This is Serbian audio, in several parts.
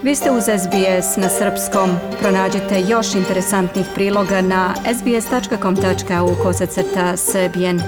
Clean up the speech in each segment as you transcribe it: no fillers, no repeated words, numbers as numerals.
Vi ste uz SBS na srpskom. Pronađite još interesantnih priloga na sbs.com.au/srbijen.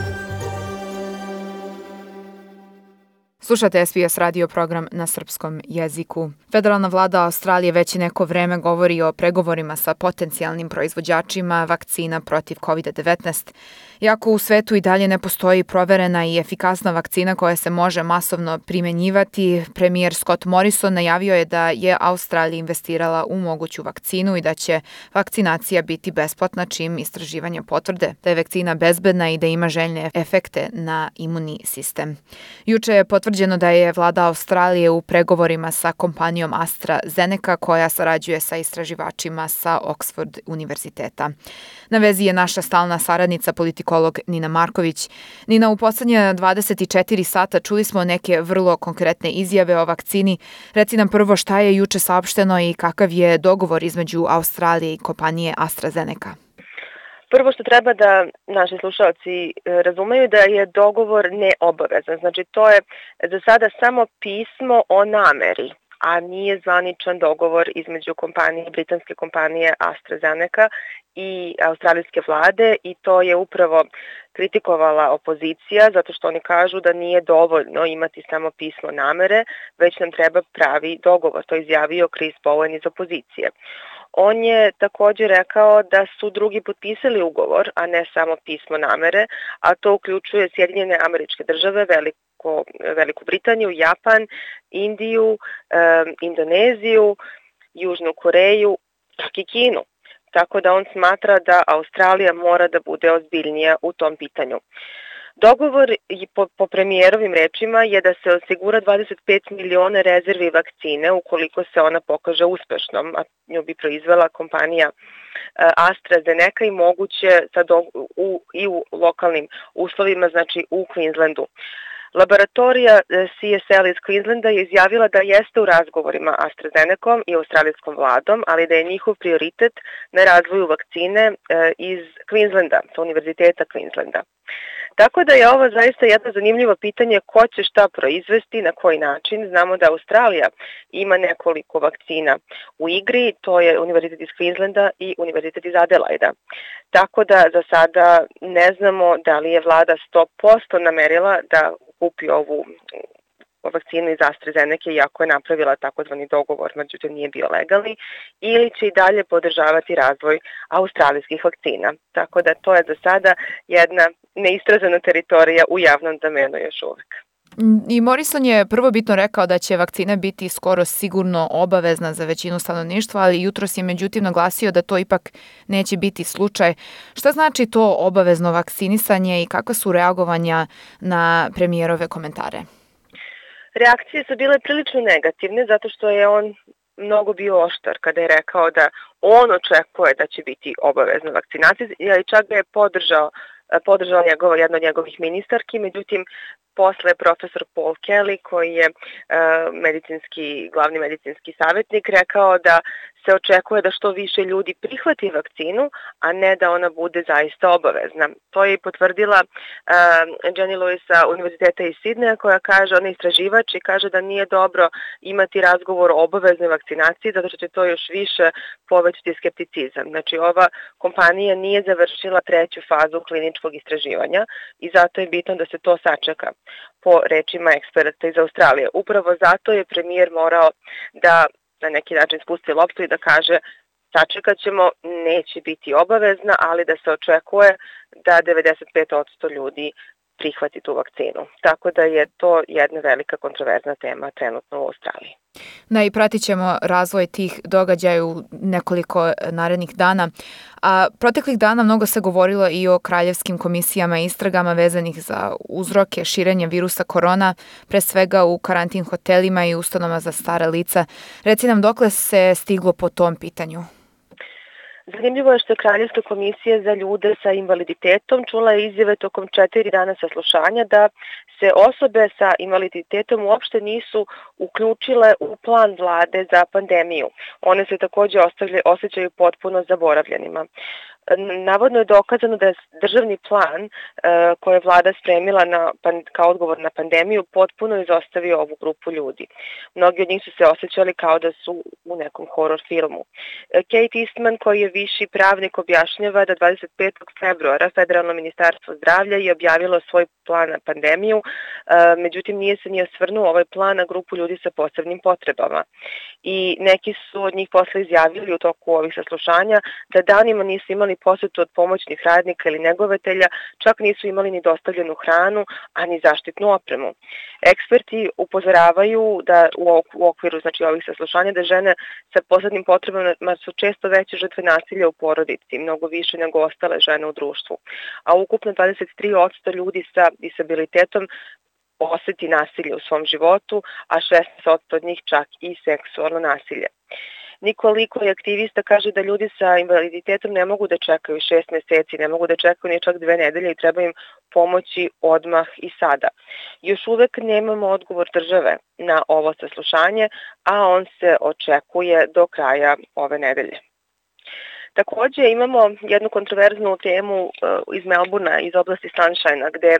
Slušate SBS radio program na srpskom jeziku. Federalna vlada Australije već neko vreme govori o pregovorima sa potencijalnim proizvođačima vakcina protiv COVID-19. Iako u svetu i dalje ne postoji proverena i efikasna vakcina koja se može masovno primenjivati, premijer Scott Morrison najavio je da je Australija investirala u moguću vakcinu i da će vakcinacija biti besplatna čim istraživanja potvrde da je vakcina bezbedna i da ima željne efekte na imunni sistem. Juče je potvrđeno da je vlada Australije u pregovorima sa kompanijom AstraZeneca koja sarađuje sa istraživačima sa Oxford univerziteta. Na vezi je naša stalna saradnica politikolog Nina Marković. Nina, u poslednje 24 sata čuli smo neke vrlo konkretne izjave o vakcini. Reci nam prvo šta je juče saopšteno i kakav je dogovor između Australije i kompanije AstraZeneca. Prvo što treba da naši slušalci razumeju da je dogovor neobavezan. Znači to je za sada samo pismo o nameri, a nije zvaničan dogovor između britanske kompanije AstraZeneca i australijske vlade i to je upravo kritikovala opozicija zato što oni kažu da nije dovoljno imati samo pismo namere, već nam treba pravi dogovor. To je izjavio Chris Bowen iz opozicije. On je također rekao da su drugi potpisali ugovor, a ne samo pismo namere, a to uključuje Sjedinjene Američke Države, Veliku Britaniju, Japan, Indiju, Indoneziju, Južnu Koreju, čak i Kinu. Tako da on smatra da Australija mora da bude ozbiljnija u tom pitanju. Dogovor po premijerovim rečima je da se osigura 25 miliona rezervi vakcine ukoliko se ona pokaže uspešnom, a nju bi proizvela kompanija AstraZeneca i moguće i u lokalnim uslovima, znači u Queenslandu. Laboratorija CSL iz Queenslanda je izjavila da jeste u razgovorima AstraZenecom i australijskom vladom, ali da je njihov prioritet na razvoju vakcine iz Queenslanda, sa Univerziteta Queenslanda. Tako da je ovo zaista jedno zanimljivo pitanje ko će šta proizvesti, na koji način. Znamo da Australija ima nekoliko vakcina u igri, to je Univerzitet iz Queenslanda i Univerzitet iz Adelaida. Tako da za sada ne znamo da li je vlada 100% namerila da kupi ovu vakcinu iz AstraZeneca iako je napravila takozvani dogovor, međutim nije bio legalni, ili će i dalje podržavati razvoj australijskih vakcina. Tako da to je za sada jedna neistražena teritorija u javnom domenu još uvek. I Morrison je prvobitno rekao da će vakcina biti skoro sigurno obavezna za većinu stanovništva, ali jutros je međutim naglasio da to ipak neće biti slučaj. Šta znači to obavezno vakcinisanje i kakva su reagovanja na premijerove komentare? Reakcije su bile prilično negativne zato što je on mnogo bio oštar kada je rekao da on očekuje da će biti obavezna vakcinacija i čak ga je podržao jedna od njegovih ministarki, međutim posle profesor Paul Kelly koji je glavni medicinski savjetnik rekao da se očekuje da što više ljudi prihvati vakcinu, a ne da ona bude zaista obavezna. To je i potvrdila Jenny Lewis sa Univerziteta iz Sidneja koja kaže, ona je istraživač i kaže da nije dobro imati razgovor o obaveznoj vakcinaciji zato što će to još više povećati skepticizam. Znači ova kompanija nije završila 3. fazu kliničkog istraživanja i zato je bitno da se to sačeka po rečima eksperata iz Australije. Upravo zato je premijer morao da na neki način spusti loptu i da kaže sačekat ćemo, neće biti obavezna, ali da se očekuje da 95% ljudi prihvati tu vakcinu. Tako da je to jedna velika kontroverzna tema trenutno u Australiji. I pratit ćemo razvoj tih događaja u nekoliko narednih dana. A proteklih dana mnogo se govorilo i o kraljevskim komisijama i istragama vezanih za uzroke širenja virusa korona, pre svega u karantin hotelima i ustanovama za stara lica. Reci nam dokle se stiglo po tom pitanju? Zanimljivo je što je Kraljevska komisija za ljude sa invaliditetom čula izjave tokom 4 dana saslušanja da se osobe sa invaliditetom uopšte nisu uključile u plan vlade za pandemiju. One se također osjećaju potpuno zaboravljenima. Navodno je dokazano da je državni plan koji je vlada spremila kao odgovor na pandemiju potpuno izostavio ovu grupu ljudi. Mnogi od njih su se osjećali kao da su u nekom horor filmu. Kate Eastman, koji je viši pravnik, objašnjava da 25. februara Federalno ministarstvo zdravlja je objavilo svoj plan na pandemiju, međutim nije se ni osvrnuo ovaj plan na grupu ljudi sa posebnim potrebama. I neki su od njih posle izjavili u toku ovih saslušanja da danima nisu imali posetu od pomoćnih radnika ili negovatelja, čak nisu imali ni dostavljenu hranu, a ni zaštitnu opremu. Eksperti upozoravaju da u okviru ovih saslušanja da žene sa posebnim potrebama su često veće žrtve nasilja u porodici, mnogo više nego ostale žene u društvu. A ukupno 23% ljudi sa disabilitetom oseti nasilje u svom životu, a 16% od njih čak i seksualno nasilje. Nikoliko je aktivista kaže da ljudi sa invaliditetom ne mogu da čekaju 6 meseci, ne mogu da čekaju ni čak 2 nedelje i treba im pomoći odmah i sada. Još uvek nemamo odgovor države na ovo saslušanje, a on se očekuje do kraja ove nedelje. Takođe imamo jednu kontroverznu temu iz Melbourna, iz oblasti Sunshine-a, gde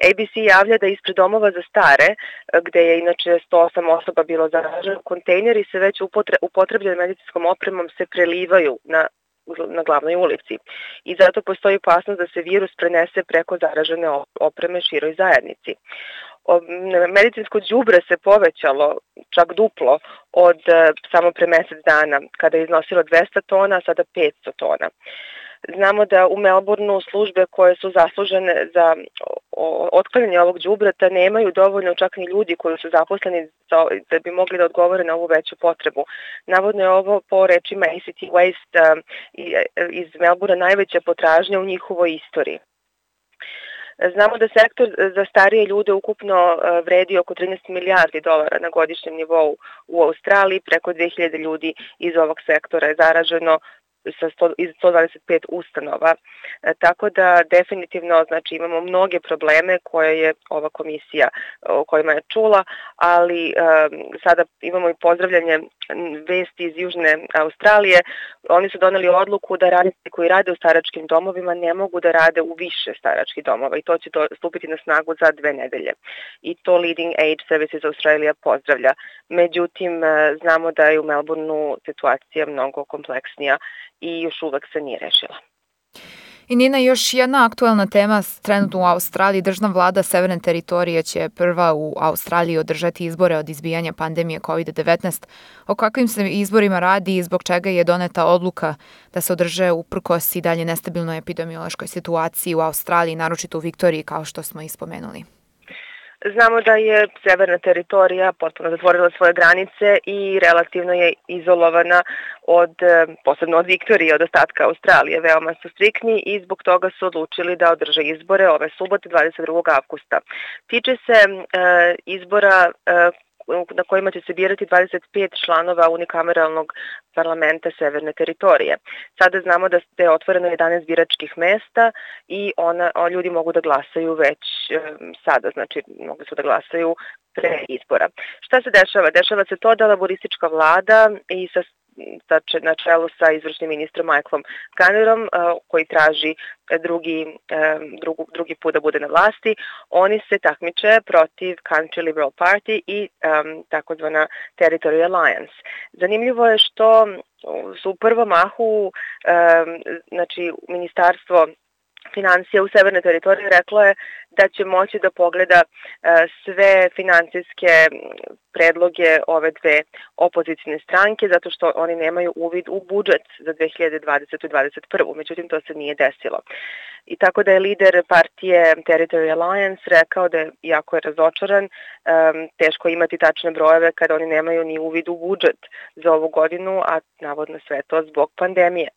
ABC javlja da ispred domova za stare, gde je inače 108 osoba bilo zaraženo, kontejneri se već upotrebljenom medicinskom opremom se prelivaju na glavnoj ulici i zato postoji opasnost da se virus prenese preko zaražene opreme široj zajednici. Medicinsko đubre se povećalo čak duplo od samo pre mesec dana, kada je iznosilo 200 tona, a sada 500 tona. Znamo da u Melbourneu službe koje su zaslužene za otklanjanje ovog đubreta nemaju dovoljno čak ni ljudi koji su zaposleni da bi mogli da odgovore na ovu veću potrebu. Navodno je ovo po rečima ACT Waste iz Melbournea najveća potražnja u njihovoj istoriji. Znamo da sektor za starije ljude ukupno vredi oko 13 milijardi dolara na godišnjem nivou u Australiji, preko 2000 ljudi iz ovog sektora je zaraženo iz 125 ustanova. Tako da definitivno imamo mnoge probleme koje je ova komisija o kojima je čula, ali sada imamo i pozdravljanje vesti iz Južne Australije. Oni su doneli odluku da radnici koji rade u staračkim domovima ne mogu da rade u više staračkih domova i to će stupiti na snagu za 2 nedelje. I to Leading Age Services Australia pozdravlja. Međutim, znamo da je u Melbourneu situacija mnogo kompleksnija i još uvek se nije rešila. I Nina, još jedna aktuelna tema trenutno u Australiji. Državna vlada Severne teritorije će prva u Australiji održati izbore od izbijanja pandemije COVID-19. O kakvim se izborima radi i zbog čega je doneta odluka da se održe uprkos i dalje nestabilnoj epidemiološkoj situaciji u Australiji, naročito u Viktoriji, kao što smo ispomenuli? Znamo da je severna teritorija potpuno zatvorila svoje granice i relativno je izolovana posebno od Viktorije, od ostatka Australije. Veoma su striktni i zbog toga su odlučili da održe izbore ove subote 22. avgusta. Tiče se izbora na kojima će se birati 25 članova unikameralnog parlamenta Severne teritorije. Sada znamo da je otvoreno 11 biračkih mesta i ljudi mogu da glasaju već sada, znači mogu su da glasaju pre izbora. Šta se dešava? Dešava se to da laboristička vlada i na čelu sa izvršnim ministrom Michaelom Gunnerom, koji traži drugi put da bude na vlasti, oni se takmiče protiv Country Liberal Party i takozvana Territory Alliance. Zanimljivo je što su u prvom mahu, ministarstvo financija u Severnoj teritoriji reklo je da će moći da pogleda sve finansijske predloge ove dve opozicijne stranke zato što oni nemaju uvid u budžet za 2020. i 2021. Međutim, to se nije desilo. I tako da je lider partije Territory Alliance rekao da je jako razočaran, teško imati tačne brojeve kada oni nemaju ni uvid u budžet za ovu godinu, a navodno sve to zbog pandemije.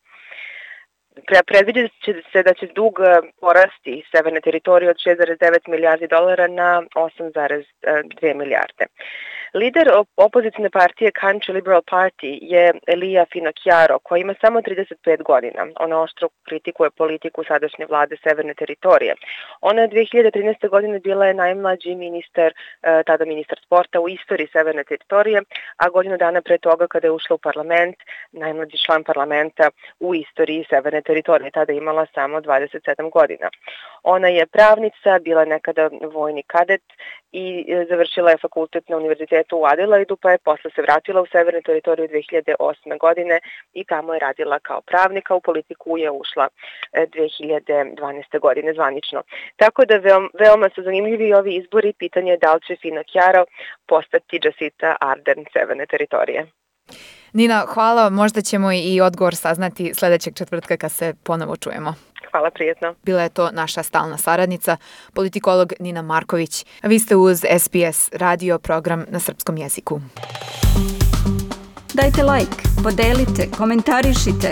Predviđa se da će dug porasti Severne teritorije od 6,9 milijardi dolara na 8,2 milijarde. Lider opozicijne partije Country Liberal Party je Lia Finocchiaro, koja ima samo 35 godina. Ona oštro kritikuje politiku sadašnje vlade Severne teritorije. Ona je 2013. godine bila je najmlađi ministar, tada ministar sporta u istoriji Severne teritorije, a godinu dana pre toga kada je ušla u parlament, najmlađi član parlamenta u istoriji Severne teritorije, tada je imala samo 27 godina. Ona je pravnica, bila nekada vojni kadet i završila je fakultet na univerzitetu u Adelaidu, pa je posle se vratila u Severnu teritoriju 2008. godine i tamo je radila kao pravnika, u politiku je ušla 2012. godine zvanično. Tako da veoma su zanimljivi ovi izbori, pitanje je da li će Finocchiaro postati Jacinda Ardern Severne teritorije. Nina, hvala. Možda ćemo i odgovor saznati sledećeg četvrtka kad se ponovo čujemo. Hvala, prijetno. Bila je to naša stalna saradnica, politikolog Nina Marković. A vi ste uz SBS radio program na srpskom jeziku. Dajte like, podelite, komentarišite.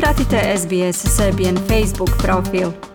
Pratite SBS Serbian Facebook profil.